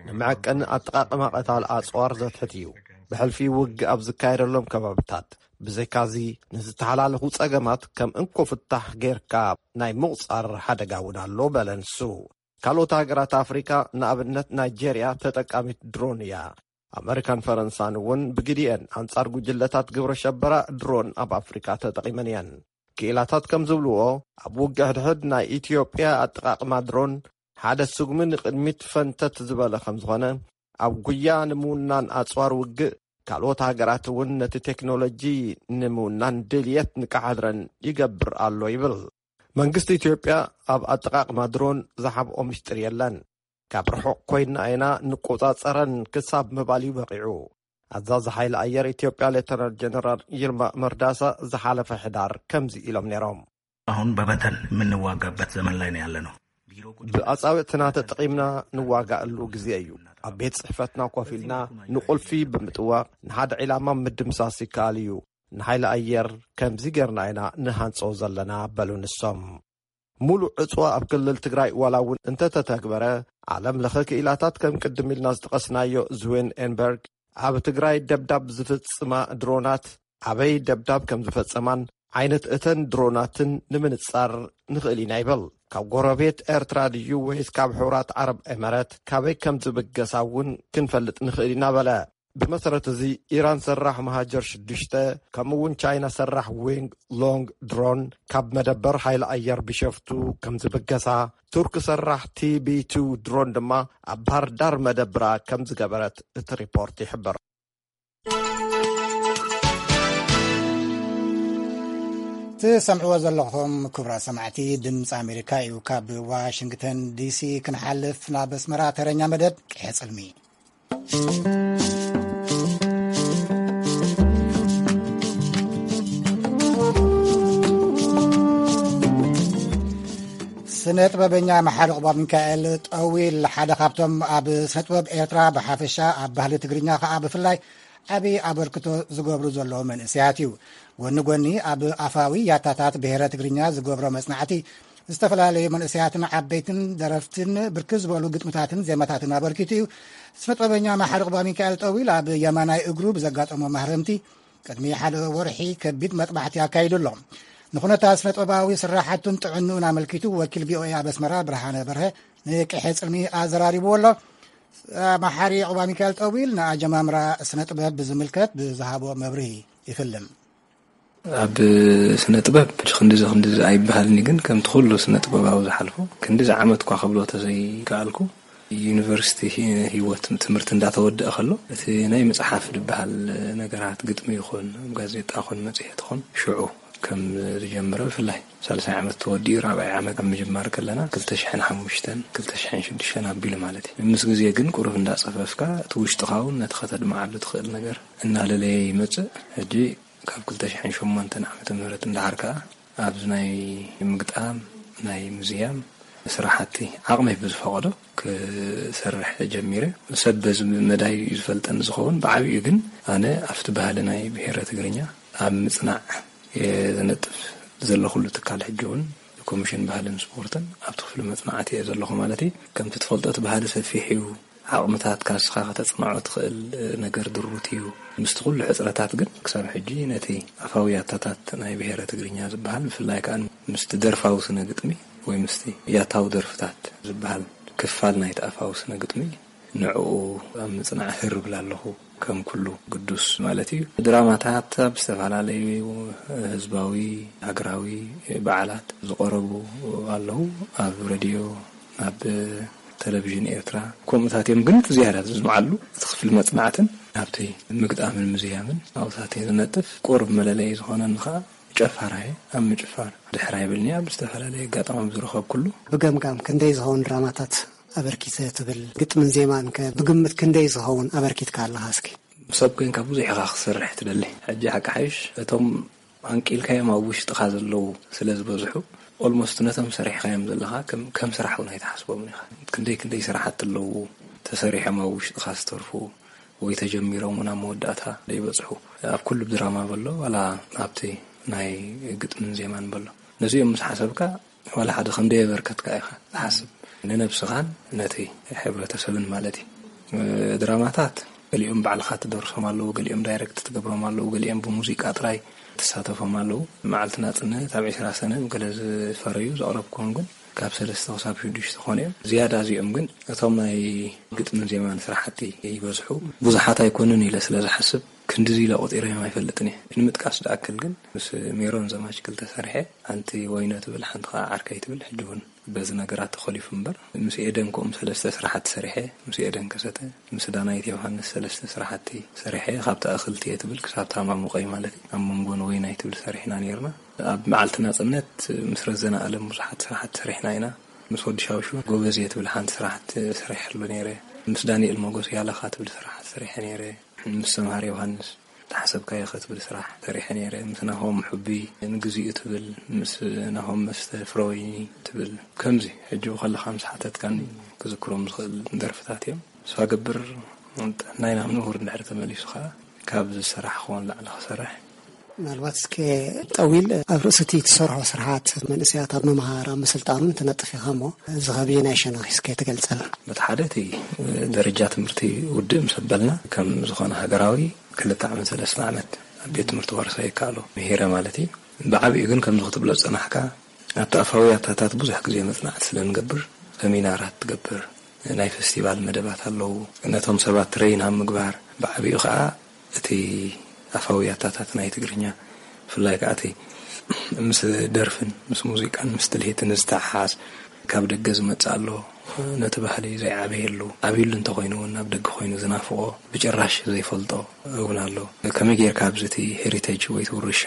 ንመዐቀኒ ኣጠቓቕማ ቀታል ኣጽዋር ዘትሕት እዩ። ብሕልፊ ውግእ ኣብ ዝካየደሎም ከባብታት፣ ብዘይካዚ፣ ንዝተሓላለኹ ጸገማት ከም እንኮ ፍታሕ ጌርካ ናይ ምቑጻር ሓደጋ እውን ኣሎ በለ ንሱ። ካልኦት ሃገራት ኣፍሪካ፣ ንኣብነት ናይጄርያ፣ ተጠቃሚት ድሮን እያ። ኣመሪካን ፈረንሳን እውን ብግዲኤን ኣንጻር ጉጅለታት ግብረ ሸበራ ድሮን ኣብ ኣፍሪካ ተጠቒመን እየን። ክኢላታት ከም ዝብልዎ፣ ኣብ ውግእ ሕድሕድ ናይ ኢትዮጵያ ኣጠቓቕማ ድሮን ሓደ ስጉሚ ንቕድሚት ፈንተት ዝበለ ከም ዝኾነ፣ ኣብ ጉያ ንምውናን ኣጽዋር ውግእ፣ ካልኦት ሃገራት እውን ነቲ ቴክኖሎጂ ንምውናን ድልየት ንቃሕ ሕድረን ይገብር ኣሎ ይብል። መንግስቲ ኢትዮጵያ ኣብ ኣጠቓቕማ ድሮን ዝሓብኦ ምስጢር የለን። ካብ ርሑቕ ኮይንና ኢና ንቆጻጸረን ክሳብ ምባል እዩ በቒዑ። ኣዛዚ ሓይሊ ኣየር ኢትዮጵያ ሌተናል ጀነራል ይልማ መርዳሳ ዝሓለፈ ሕዳር ከምዚ ኢሎም ነይሮም። አሁን በበተን የምንዋጋበት ዘመን ላይ ነው ያለነው። ብኣጻብዕትና ተጠቒምና ንዋጋኣሉ ግዜ እዩ። ኣብ ቤት ጽሕፈትና ኮፍ ኢልና ንቁልፊ ብምጥዋቕ ንሓደ ዒላማ ምድምሳስ ይከኣል እዩ። ንሓይሊ ኣየር ከምዚ ጌርና ኢና ንሃንጾ ዘለና በሉ ንሶም። ሙሉእ ዕጽዋ ኣብ ክልል ትግራይ ዋላ እውን እንተተተግበረ፣ ዓለም ለኸ ክኢላታት ከም ቅድም ኢልና ዝጠቐስናዮ ዝዌን ኤንበርግ ኣብ ትግራይ ደብዳብ ዝፍጽማ ድሮናት ኣበይ ደብዳብ ከም ዝፈጸማን ዓይነት እተን ድሮናትን ንምንጻር ንኽእል ኢና ይብል። ካብ ጎረቤት ኤርትራ ድዩ ወይስ ካብ ሕቡራት ዓረብ ኤመረት ካበይ ከም ዝብገሳ እውን ክንፈልጥ ንኽእል ኢና በለ። ብመሰረት እዚ፣ ኢራን ሰራሕ መሃጀር ሽዱሽተ ከምኡ እውን ቻይና ሰራሕ ዊንግ ሎንግ ድሮን ካብ መደበር ሓይሊ ኣየር ቢሸፍቱ ከም ዝብገሳ፣ ቱርክ ሰራሕ ቲ ቢ ቱ ድሮን ድማ ኣብ ባህር ዳር መደብራ ከም ዝገበረት እቲ ሪፖርት ይሕብር። ትሰምዕዎ ዘለኹም ክቡራት ሰማዕቲ ድምፂ ኣሜሪካ እዩ። ካብ ዋሽንግተን ዲሲ ክንሓልፍ ናብ ኣስመራ ተረኛ መደብ ቅሐ ጽልሚ። ስነ ጥበበኛ መሓሪ ቁባ ሚካኤል ጠዊል ሓደ ካብቶም ኣብ ስነ ጥበብ ኤርትራ ብሓፈሻ ኣብ ባህሊ ትግርኛ ከኣ ብፍላይ ዓቢ ኣበርክቶ ዝገብሩ ዘለዉ መንእሰያት እዩ። ጎኒ ጎኒ ኣብ ኣፋዊ ያታታት ብሔረ ትግርኛ ዝገብሮ መጽናዕቲ ዝተፈላለዩ መንእሰያትን ዓበይትን ደረፍትን ብርክት ዝበሉ ግጥምታትን ዜማታትን ኣበርኪቱ እዩ። ስነ ጥበበኛ መሓሪ ቁባ ሚካኤል ጠዊል ኣብ የማናይ እግሩ ብዘጋጠሞ ማህረምቲ ቅድሚ ሓደ ወርሒ ከቢድ መጥባሕቲ ኣካይዱ ኣሎ። ንኹነታት ስነ ጥበባዊ ስራሓቱን ጥዕንኡን ኣመልኪቱ ወኪል ቪ ኦ ኤ ኣብ ኣስመራ ብርሃነ በርሀ ንቅሐ ጽልሚ ኣዘራሪብዎ ኣሎ። መሓሪ ቁባ ሚካኤል ጠዊል ንኣጀማምራ ስነ ጥበብ ብዝምልከት ብዝሃቦ መብርሂ ይፍልም። ኣብ ስነ ጥበብ ክንዲዚ ክንዲዚ ኣይበሃልን እዩ፣ ግን ከምቲ ኩሉ ስነ ጥበባዊ ዝሓልፎ ክንዲዚ ዓመት እኳ ክብሎ ተዘይከኣልኩ፣ ዩኒቨርሲቲ ሂ-፣ ህይወት ትምህርቲ እንዳተወደአ ከሎ፣ እቲ ናይ መጽሓፍ ዝበሃል ነገራት፣ ግጥሚ ይኹን፣ ኣብ ጋዜጣ ይኹን፣ መጽሔት ይኹን፣ ሽዑ ከም ዝጀምረ፣ ብፍላይ ሳልሳይ ዓመት ተወዲኡ ራብዓይ ዓመት ኣብ ምጅማር ከለና፣ ክልተ ሽሕን ሓሙሽተን፣ ክልተ ሽሕን ሽዱሽተን ኣቢሉ ማለት እዩ። ምስ ግዜ ግን ቁሩብ እንዳጸፈፍካ፣ እቲ ውሽጥኻ እውን ነቲ ከተድምዓሉ ትኽእል ነገር እናለለየ ይመጽእ። ሕጂ ካብ ክልተ ሽሕን ሸሞንተን ዓመተ ምህረት እንዳሓር ከኣ ኣብዚ ናይ ምግጣም፣ ናይ ምዝያም ስራሓቲ ዓቕመይ ብዝፈቐዶ ክሰርሕ ጀሚረ። ሰብ በዚ መዳይ እዩ ዝፈልጠኒ ዝኸውን። ብዓቢኡ ግን ኣነ ኣብቲ ባህሊ ናይ ብሔረ ትግርኛ ኣብ ምጽናዕ እየ ዝነጥፍ ዘለኹሉ ትካል ሕጂ እውን ኮሚሽን ባህልን ስፖርትን ኣብቲ ክፍሊ መጽናዕቲ እየ ዘለኹ ማለት እዩ። ከምቲ ትፈልጦ እቲ ባህሊ ሰፊሕ እዩ። ዓቕምታት ካስኻ ከተጽንዖ ትኽእል ነገር ድሩት እዩ። ምስቲ ኩሉ ሕጽረታት ግን ክሳብ ሕጂ ነቲ ኣፋዊ ያታታት ናይ ብሔረ ትግርኛ ዝበሃል፣ ብፍላይ ከኣ ምስቲ ደርፋዊ ስነ ግጥሚ ወይ ምስቲ ያታዊ ደርፍታት ዝበሃል ክፋል ናይቲ ኣፋዊ ስነ ግጥሚ ንዕኡ ኣብ ምጽናዕ ህር እብል ኣለኹ። ከም ኩሉ ግዱስ ማለት እዩ። ድራማታት ኣብ ዝተፈላለዩ ህዝባዊ፣ ሃገራዊ በዓላት ዝቐረቡ ኣለዉ። ኣብ ሬድዮ፣ ኣብ ቴሌቪዥን ኤርትራ ከምኡታት እዮም። ግን እቲ ዝያዳ ዝስምዓሉ እቲ ክፍሊ መጽናዕትን ኣብቲ ምግጣምን ምዝያምን ኣብታት እዩ ዝነጥፍ። ቁሩብ መለለዪ ዝኾነኒ ኸኣ ጨፋራ እየ። ኣብ ምጭፋር ድሕር ኣይብልን'የ። ኣብ ዝተፈላለየ ኣጋጣሚ ኣብ ዝረኸብኩሉ። ብገምጋም ክንደይ ዝኸውን ድራማታት ኣበርኪተ ትብል? ግጥምን ዜማን ከ ብግምት ክንደይ ዝኸውን ኣበርኪትካ ኣለኻ እስኪ? ሰብ ኮይንካ ብዙሕ ኢኻ ክሰርሕ ትደሊ። ሕጂ ሓቂ ሓይሽ እቶም ኣንቂልካዮም ኣብ ውሽጥኻ ዘለዉ ስለ ዝበዝሑ፣ ኦልሞስት ነቶም ሰሪሕካዮም ዘለኻ ከም፣ ከም ስራሕ እውን ኣይትሓስቦምን ኢኻ። ክንደይ ክንደይ ስራሓት ኣለዉ ተሰሪሖም ኣብ ውሽጥኻ ዝተርፉ ወይ ተጀሚሮም እውን ኣብ መወዳእታ ዘይበጽሑ። ኣብ ኩሉ ድራማ በሎ፣ ዋላ ኣብቲ ናይ ግጥምን ዜማን በሎ። ነዚኦም ምስ ሓሰብካ፣ ዋላ ሓደ ከም ደየበርከትካ ኢኻ ትሓስብ። ንነብስኻን ነቲ ሕብረተሰብን ማለት እዩ። ድራማታት ገሊኦም ባዕልኻ ትደርሶም ኣለዉ፣ ገሊኦም ዳይሬክት ትገብሮም ኣለዉ፣ ገሊኦም ብሙዚቃ ጥራይ ትሳተፎም ኣለዉ። መዓልቲ ናጽነት ኣብ ዕስራ ሰነ ገለ ዝፈረዩ ዘቕረብክዎም ግን ካብ ሰለስተ ክሳብ ሽዱሽተ ኮኑ እዮም። ዝያዳ እዚኦም ግን እቶም ናይ ግጥምን ዜማን ስራሕቲ ይበዝሑ። ብዙሓት ኣይኮኑን ኢለ ስለ ዝሓስብ ክንድዚ ኢለ ቆጺረዮም ኣይፈልጥን እየ። ንምጥቃስ ዝኣክል ግን ምስ ሜሮን ዘማች ክልተ ሰሪሐ፣ ኣንቲ ወይኖ ትብል ሓንቲ ኸዓ ዓርከይ ትብል፣ ሕጂ እውን በዚ ነገራት ተኾሊፉ እምበር፣ ምስ ኤደን ከምኡ ሰለስተ ስራሓት ሰሪሐ፣ ምስ ኤደን ከሰተ፣ ምስ ዳናይት ዮሃንስ ሰለስተ ስራሓቲ ሰሪሐ፣ ካብታ እኽልቲ እየ ትብል ክሳብ ታማሙቀይ ማለት እዩ። ኣብ መንጎ ንወይናይ ትብል ሰሪሕና ነይርና። ኣብ መዓልቲ ናጽነት ምስ ረዘነ ኣለም ብዙሓት ስራሓት ሰሪሕና ኢና። ምስ ወዲ ሻውሹ ጎበዝ እየ ትብል ሓንቲ ስራሓት ሰሪሐሉ ነይረ። ምስ ዳንኤል ሞጎስ ያለኻ ትብል ስራሓት ሰሪሐ ነይረ። ምስ ሰምሃር ዮሃንስ ተሓሰብካዮ ከ ትብል ስራሕ ሰሪሐ ነይረ። ምስ ናሆም ሕቢ ንግዚኡ ትብል፣ ምስ ናሆም መስተ ፍረወይኒ ትብል። ከምዚ ሕጂ ከለኻ ምስ ሓተትካኒ ክዝክሮም ዝኽእል ደርፍታት እዮም። ተስፋ ገብር ጥዕናይ ናብ ንቡር እንድሕር ተመሊሱ ኸዓ ካብ ዝሰራሕኽዎ ንላዕሊ ክሰርሕ። ምናልባት እስከ ጠዊል ኣብ ርእሲ እቲ ትሰርሖ ስራሓት መንእሰያት ኣብ ምምሃር ኣብ ምስልጣኑን ትነጥፍ ኢኻ እሞ፣ እዚ ኸብየናይ ሸነኽ እስከ ትገልጸልና? በቲ ሓደ እቲ ደረጃ ትምህርቲ ውድእ ምስ ኣበልና ከም ዝኾነ ሃገራዊ ክልተ ዓመት ሰለስተ ዓመት ኣብ ቤት ትምህርቲ ዋርሳይ ይከኣሎ ምሂረ ማለት እዩ። ብዓቢኡ ግን ከምዚ ክትብሎ ዝጸናሕካ ኣብቲ ኣፋዊ ያታታት ብዙሕ ግዜ መጽናዕቲ ስለ ንገብር፣ ሰሚናራት ትገብር፣ ናይ ፈስቲቫል መደባት ኣለዉ። ነቶም ሰባት ትረይን ኣብ ምግባር፣ ብዓቢኡ ኸኣ እቲ ኣፋዊ ያታታት ናይ ትግርኛ፣ ብፍላይ ከኣ እቲ ምስ ደርፍን ምስ ሙዚቃን ምስ ትልሂትን ዝተሓሓዝ ካብ ደገ ዝመጽእ ኣሎ። ነቲ ባህሊ ዘይዓበየሉ፣ ዓብዩሉ እንተኾይኑ እውን ናብ ደገ ኮይኑ ዝናፍቖ፣ ብጭራሽ ዘይፈልጦ እውን ኣሎ። ከመይ ጌርካ ኣብዚ እቲ ሄሪቴጅ ወይ እቲ ውርሻ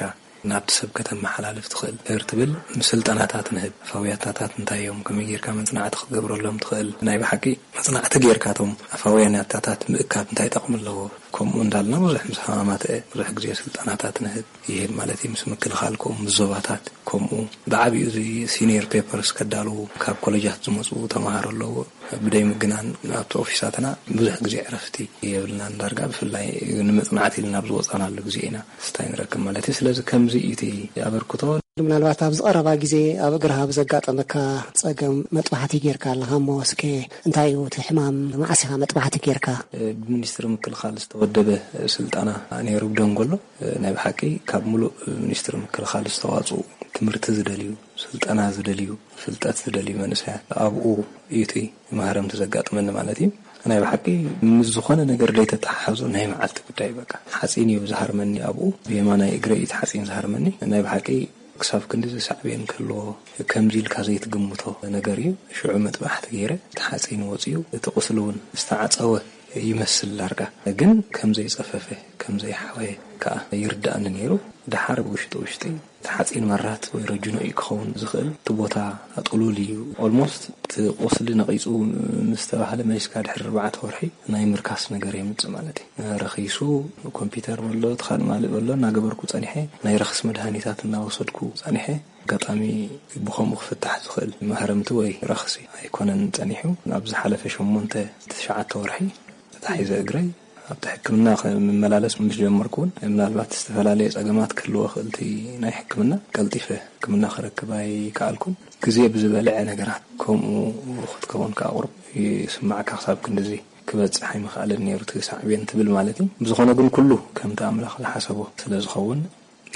ናብቲ ሰብ ከተመሓላልፍ ትኽእል? ድሕር ትብል፣ ስልጠናታት ንህብ። ኣፋውያታታት እንታይ እዮም? ከመይ ጌርካ መጽናዕቲ ክትገብረሎም ትኽእል? ናይ ብሓቂ መጽናዕቲ ጌርካ እቶም ኣፋውያን ያታታት ምእካብ እንታይ ጠቕሚ ኣለዎ? ከምኡ እንዳልና ብዙሕ ምስ ሃማማተ ብዙሕ ግዜ ስልጠናታት ንህብ፣ ይህብ ማለት እዩ። ምስ ምክልኻል ከምኡ፣ ምስ ዞባታት ከምኡ። ብዓቢኡ እዚ ሲኒየር ፔፐርስ ከዳልዉ ካብ ኮሌጃት ዝመጹ ተማሃሮ ኣለዎ። ብደይ ምግናን ኣብቲ ኦፊሳትና ብዙሕ ግዜ ዕረፍቲ የብልናን። ዳርጋ ብፍላይ ንመጽናዕቲ ኢልና ኣብ ዝወጻናሉ ግዜ ኢና ስታይ ንረክብ ማለት እዩ። ስለዚ ከምዚ እዩ እቲ ኣበርክቶ። ምናልባት ኣብዚ ቀረባ ግዜ ኣብ እግርኻ ብዘጋጠመካ ጸገም መጥባሕቲ ጌርካ ኣለኻ እሞ፣ እስከ እንታይ እዩ እቲ ሕማም? መዓስ ኢኻ መጥባሕቲ ጌርካ? ብሚኒስትሪ ምክልኻል ዝተወደበ ስልጠና ነይሩ ብደንጎሎ። ናይ ብሓቂ ካብ ሙሉእ ሚኒስትሪ ምክልኻል ዝተዋጽኡ ትምህርቲ ዝደልዩ፣ ስልጠና ዝደልዩ፣ ፍልጠት ዝደልዩ መንእሰያት ኣብኡ እዩ እቲ ማህረምቲ ዘጋጥመኒ ማለት እዩ። ናይ ብሓቂ ምስ ዝኾነ ነገር ደይተተሓሓዞ ናይ መዓልቲ ጉዳይ በቃ። ሓፂን እዩ ዝሃርመኒ ኣብኡ፣ ብየማናይ እግረይ እዩ እቲ ሓፂን ዝሃርመኒ። ናይ ብሓቂ ክሳብ ክንዲ ዝሳዕቤን ክህልዎ ከምዚ ኢልካ ዘይትግምቶ ነገር እዩ። ሽዑ መጥባሕቲ ገይረ፣ እቲ ሓፂን ወፂኡ፣ እቲ ቁስሊ እውን ዝተዓፀወ ይመስል ዳርጋ፣ ግን ከም ዘይጸፈፈ፣ ከም ዘይሓወየ ከኣ ይርድኣኒ ነይሩ። ደሓር ብውሽጢ ውሽጢ እቲ ሓጺን መራት ወይ ረጅኖ እዩ ክኸውን ዝኽእል፣ እቲ ቦታ ጥሉል እዩ። ኦልሞስት እቲ ቁስሊ ነቒጹ ምስ ተባህለ መሊስካ ድሕሪ ኣርባዕተ ወርሒ ናይ ምርካስ ነገር የምጽእ ማለት እዩ። ረኺሱ ኮምፒውተር በሎ፣ እቲ ካልእ ማልእ በሎ እናገበርኩ ጸኒሐ፣ ናይ ረኽሲ መድሃኒታት እናወሰድኩ ጸኒሐ። ኣጋጣሚ ብኸምኡ ክፍታሕ ዝኽእል ማህረምቲ ወይ ረኽሲ ኣይኮነን ጸኒሑ። ኣብ ዝሓለፈ ሸሞንተ ትሽዓተ ወርሒ ተታሒዘ እግረይ ኣብቲ ሕክምና ክመላለስ ምስ ጀመርኩ እውን ምናልባት ዝተፈላለየ ጸገማት ክህልዎ ክእልቲ ናይ ሕክምና ቀልጢፈ ሕክምና ክረክብ ኣይከኣልኩን። ግዜ ብዝበልዐ ነገራት ከምኡ ክትከውን ከኣ ቁሩብ ይስማዕካ። ክሳብ ክንድዚ ክበጽሕ ኣይምኽኣልን ነይሩ እቲ ሳዕቤን ትብል ማለት እዩ። ብዝኾነ ግን ኩሉ ከምቲ ኣምላኽ ዝሓሰቦ ስለ ዝኸውን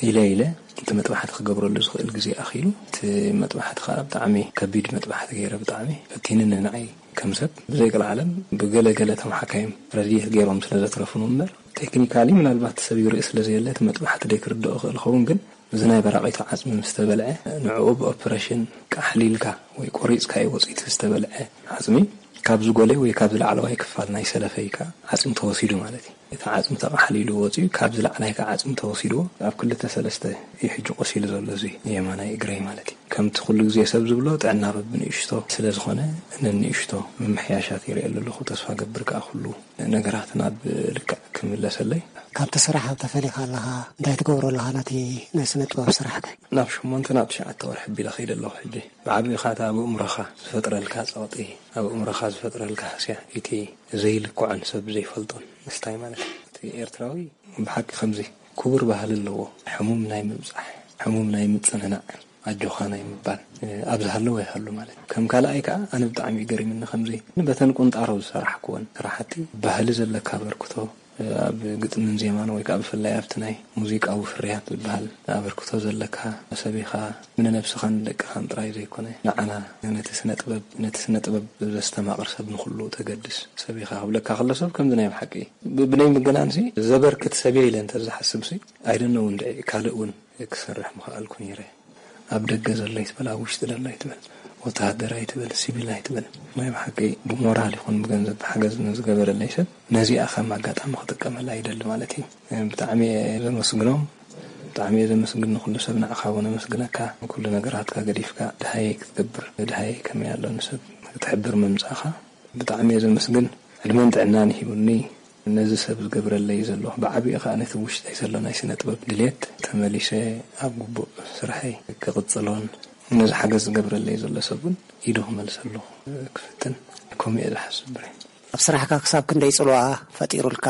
ኢለ ኢለ እቲ መጥባሕቲ ክገብረሉ ዝኽእል ግዜ ኣኺሉ፣ እቲ መጥባሕቲ ከዓ ብጣዕሚ ከቢድ መጥባሕቲ ገይረ፣ ብጣዕሚ ፈቲንኒ ንዓይ ከም ሰብ። ብዘይቀልዓለም ብገለ ገለ ተመሓካይም ረድኤት ገይሮም ስለ ዘትረፉን እምበር፣ ቴክኒካሊ ምናልባት ሰብ ይርኢ ስለ ዘየለ እቲ መጥባሕቲ ደይ ክርድኦ ክእል ኸውን። ግን እዚ ናይ በራቒቱ ዓጽሚ ምስ ተበልዐ፣ ንዕኡ ብኦፕሬሽን ቃሕሊልካ ወይ ቆሪጽካዮ ወጺእቲ ዝተበልዐ ዓጽሚ ካብዚ ጎለይ ወይ ካብዚ ላዕለዋይ ክፋል ናይ ሰለፈይ ከኣ ዓጽሚ ተወሲዱ ማለት እዩ። እቲ ዓጽሚ ተቓሕሊሉ ወጺኡ፣ ካብዚ ላዕላይ ከኣ ዓጽሚ ተወሲድዎ፣ ኣብ ክልተ ሰለስተ እዩ ሕጂ ቆሲሉ ዘሎ እዚ የማናይ እግረይ ማለት እዩ። ከምቲ ኩሉ ግዜ ሰብ ዝብሎ፣ ጥዕና በብንእሽቶ ስለ ዝኾነ፣ ነንእሽቶ ምምሕያሻት ይርእየሉ ኣለኹ። ተስፋ ገብር ከኣ ኩሉ ነገራት ናብ ልክዕ ክምለሰለይ። ካብቲ ስራሕ ተፈሊኻ ኣለኻ፣ እንታይ ትገብሮ ኣለኻ ነቲ ናይ ስነ ጥበብ ስራሕከ? ናብ ሸሞንተ ናብ ትሽዓተ ወርሒ ኣቢለ ከይደ ኣለኹ። ሕጂ ብዓቢኻ እታ ኣብ ኣእምሮኻ ዝፈጥረልካ ጸቕጢ፣ ኣብ ኣእምሮኻ ዝፈጥረልካ ሃስያ፣ እቲ ዘይልክዖን ሰብ ዘይፈልጦን ምስታይ ማለት እዩ። እቲ ኤርትራዊ ብሓቂ ከምዚ ክቡር ባህሊ ኣለዎ። ሕሙም ናይ ምብጻሕ፣ ሕሙም ናይ ምጽንናዕ፣ ኣጆኻ ናይ ምባል፣ ኣብ ዝሃለወ ይሃሉ ማለት እዩ። ከም ካልኣይ ከኣ ኣነ ብጣዕሚ እዩ ገሪምኒ ከምዚ በተን ቁንጣሮ ዝሰራሕክወን ስራሕቲ ባህሊ ዘለካ ኣበርክቶ፣ ኣብ ግጥምን ዜማን ወይ ከኣ ብፍላይ ኣብቲ ናይ ሙዚቃዊ ፍርያት ዝበሃል ኣበርክቶ ዘለካ ሰብ ኢኻ። ንነብስኻን ንደቅኻን ጥራይ ዘይኮነ፣ ንዓና፣ ነቲ ስነ ጥበብ፣ ነቲ ስነ ጥበብ ዘስተማቕር ሰብ ንኹሉ ተገድስ ሰብ ኢኻ ክብለካ ከሎ ሰብ ከምዚ ናይ ብሓቂ ብ-፣ ብናይ ምግናንሲ ዘበርክት ሰብ እየ ኢለ እንተ ዝሓስብሲ፣ ኣይደነው እንድዒ ካልእ እውን ክሰርሕ ምኽኣልኩ ነይረ። ኣብ ደገ ዘሎ ኣይትበል፣ ኣብ ውሽጢ ዘሎ ኣይትበል፣ ወተሃደር ኣይትበል፣ ሲቪል ኣይትበል። ናይ ብሓቂ ብሞራል ይኹን ብገንዘብ ሓገዝ ንዝገበረለይ ሰብ ነዚኣ ከም ኣጋጣሚ ክጥቀመላ ይደሊ ማለት እዩ። ብጣዕሚ እየ ዘመስግኖም፣ ብጣዕሚ እየ ዘመስግን ንኩሉ ሰብ። ንዓኻ እውን ኣመስግነካ። ኩሉ ነገራትካ ገዲፍካ ድሃየይ ክትገብር፣ ድሃየይ ከመይ ኣሎ ንሰብ ክትሕብር ምምጻእኻ ብጣዕሚ እየ ዘመስግን። ዕድመን ጥዕናን ይሂቡኒ። ነዚ ሰብ ዝገብረለይ ዘሎ፣ ብዓቢኡ ከኣ ነቲ ውሽጠይ ዘሎ ናይ ስነ ጥበብ ድሌት ተመሊሰ ኣብ ግቡእ ስርሐይ ክቕጽሎን ነዚ ሓገዝ ዝገብረለይ ዘሎ ሰብ እውን ኢዱ ክመልሰሉ ክፍትን፣ ከምኡ እየ ዝሓስብ ብሬን። ኣብ ስራሕካ ክሳብ ክንደይ ጽልዋ ፈጢሩልካ?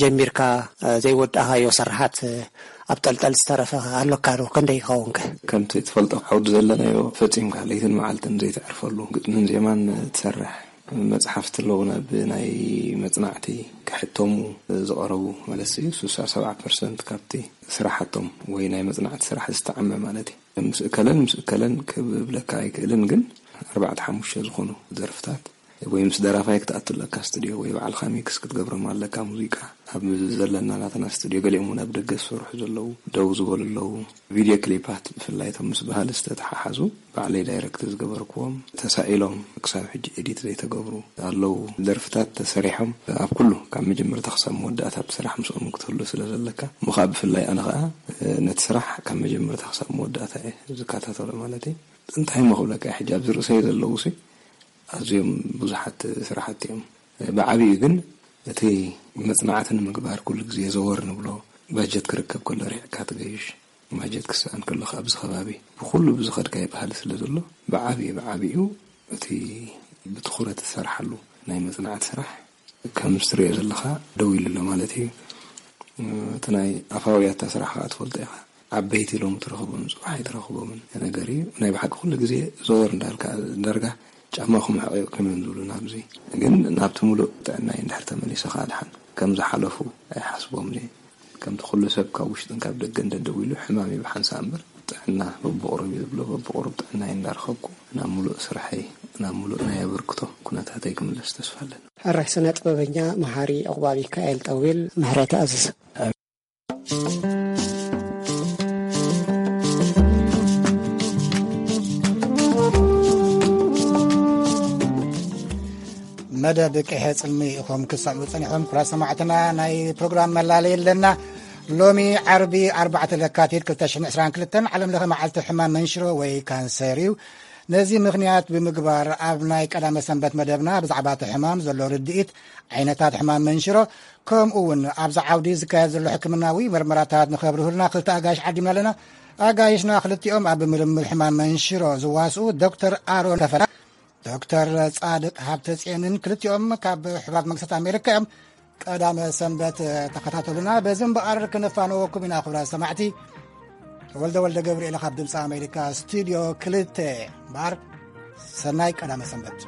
ጀሚርካ፣ እ፣ ዘይወዳእካዮ ስርሓት፣ እ፣ ኣብ ጠልጠል ዝተረፈ ኣሎካ ዶ? ክንደይ ይኸውንከ? ከምቲ ትፈልጦ፣ ዓውዲ ዘለናዮ ፈጺምካ ለይትን መዓልትን ዘይተዕርፈሉ፣ ግጥምን ዜማን ትሰርሕ፣ መጽሓፍቲ ኣለዉና ብናይ መጽናዕቲ ክሕተሙ ዝቐረቡ፣ ማለት እዩ፣ ስሳ ሰብዓ ፐርሰንት ካብቲ ስራሓቶም ወይ ናይ መጽናዕቲ ስራሕ ዝተዓመ ማለት እዩ። ምስ እከለን ምስ እከለን ክብለካ ኣይክእልን፣ ግን ኣርባዕተ ሓሙሽተ ዝኾኑ ደርፍታት ወይ ምስ ደራፋይ ክትኣቱ ኣለካ ስቱድዮ፣ ወይ ባዕልኻ ሚክስ ክትገብሮም ኣለካ። ሙዚቃ ኣብ ዘለና ናትና ስቱድዮ፣ ገሊኦም እውን ኣብ ደገ ዝሰርሑ ዘለዉ፣ ደው ዝበሉ ኣለዉ። ቪድዮ ክሊፓት ብፍላይ እቶም ምስ ባህሊ ዝተተሓሓዙ ባዕለይ ዳይረክት ዝገበርክዎም፣ ተሳኢሎም ክሳብ ሕጂ ኤዲት ዘይተገብሩ ኣለዉ። ደርፍታት ተሰሪሖም ኣብ ኩሉ ካብ መጀመርታ ክሳብ መወዳእታ ብስራሕ ምስኦም ክትህሉ ስለ ዘለካ፣ እሞ ከዓ ብፍላይ ኣነ ከዓ ነቲ ስራሕ ካብ መጀመርታ ክሳብ መወዳእታ እየ ዝከታተሎ ማለት እዩ። እንታይ እሞ ክብለካ፣ ሕጂ ኣብዚ ርእሰይ ዘለዉ ሲ ኣዝዮም ብዙሓት ስራሕቲ እዮም። ብዓቢኡ ግን እቲ መጽናዕቲ ንምግባር ኩሉ ግዜ ዘወር ንብሎ፣ ባጀት ክርከብ ከሎ ርሒቕካ ትገይሽ፣ ባጀት ክስኣን ከሎ ከኣ ኣብዚ ከባቢ ብኹሉ ብዝኸድካዮ ባህሊ ስለ ዘሎ፣ ብዓቢኡ፣ ብዓቢኡ እቲ ብትኹረት ዝሰርሓሉ ናይ መጽናዕቲ ስራሕ ከምዚ ትሪኦ ዘለኻ ደው ኢሉ ኣሎ ማለት እዩ። እቲ ናይ ኣፋውያታ ስራሕ ከኣ ትፈልጦ ኢኻ። ዓበይቲ ሎሚ ትረኽቦም፣ ጽባሕ ኣይትረኽቦምን ነገር እዩ። ናይ ብሓቂ ኩሉ ግዜ ዘወር እንዳልካ፣ ዳርጋ ጫማኹም ሕቐዩ ከመን ዝብሉ ናብዚ። ግን ናብቲ ሙሉእ ጥዕናይ እንድሕር ተመሊሰ ከኣ ድሓን ከም ዝሓለፉ ኣይሓስቦምን እየ። ከምቲ ኩሉ ሰብ ካብ ውሽጥን ካብ ደገን ደደው ኢሉ ሕማም እዩ ብሓንሳእ እምበር፣ ጥዕና በብቑሩብ እዩ ዝብሎ። በብቑሩብ ጥዕናይ እንዳረኸብኩ ናብ ሙሉእ ስርሐይ፣ ናብ ሙሉእ ናይ ኣበርክቶ ኩነታተይ ክምለስ ተስፋ ኣለኒ። ሕራይ ስነ ጥበበኛ መሓሪ ዕቑባ ሚካኤል ጠዊል፣ ምሕረት ኣዝዝ። መደብ ቅሔ ጽልሚ ኢኹም ክሰምዑ ጸኒሖም። ክቡራት ሰማዕትና፣ ናይ ፕሮግራም መላለይ ኣለና። ሎሚ ዓርቢ ኣርባዕተ ለካቲት ክልተ ሽሕን ዕስራን ክልተን ዓለም ለኸ መዓልቲ ሕማም መንሽሮ ወይ ካንሰር እዩ። ነዚ ምኽንያት ብምግባር ኣብ ናይ ቀዳመ ሰንበት መደብና ብዛዕባ እቲ ሕማም ዘሎ ርድኢት፣ ዓይነታት ሕማም መንሽሮ፣ ከምኡ እውን ኣብዚ ዓውዲ ዝካየድ ዘሎ ሕክምናዊ ምርመራታት ንኸብርሁልና ክልተ ኣጋይሽ ዓዲምና ኣለና። ኣጋይሽና ክልቲኦም ኣብ ምርምር ሕማም መንሽሮ ዝዋስኡ ዶክተር ኣሮን ከፈላ፣ ዶክተር ጻድቅ ሃብተጽዮንን ክልቲኦም ካብ ሕቡራት መንግስታት ኣሜሪካ እዮም። ቀዳመ ሰንበት ተኸታተሉና። በዚ እምበኣር ክንፋነወኩም ኢና። ክብራ ሰማዕቲ፣ ተወልደ ወልደ ገብርኤል ካብ ድምፂ ኣሜሪካ ስቱድዮ ክልተ እምበኣር፣ ሰናይ ቀዳመ ሰንበት።